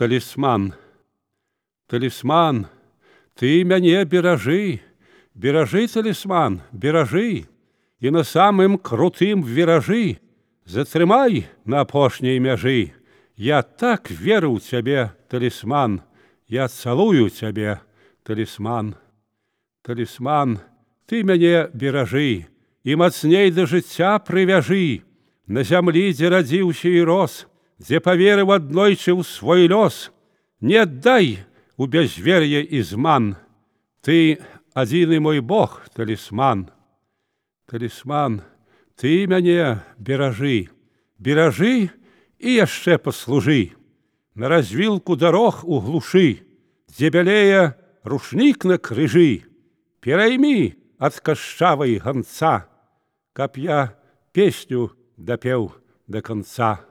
Талісман, талісман, ты мяне беражы, беражы, талісман, беражы, і на самым крутым віражы затрымай на апошняй мяжы. Я так веру ў цябе, талісман, я цалую цябе, талісман. Талісман, ты мяне беражы і мацней да жыцця прывяжы. На зямлі, дзе радзіўся і рос, дзе паверыў аднойчы ў свой лёс, не аддай у бязвер'е і зман. Ты адзіны мой Бог, талісман. Талісман, ты мяне беражы, беражы і яшчэ паслужы. На развілку дарог у глушы, дзе бялее рушнік на крыжы, пераймі ад кашчавай ганца, каб я песню дапеў да канца.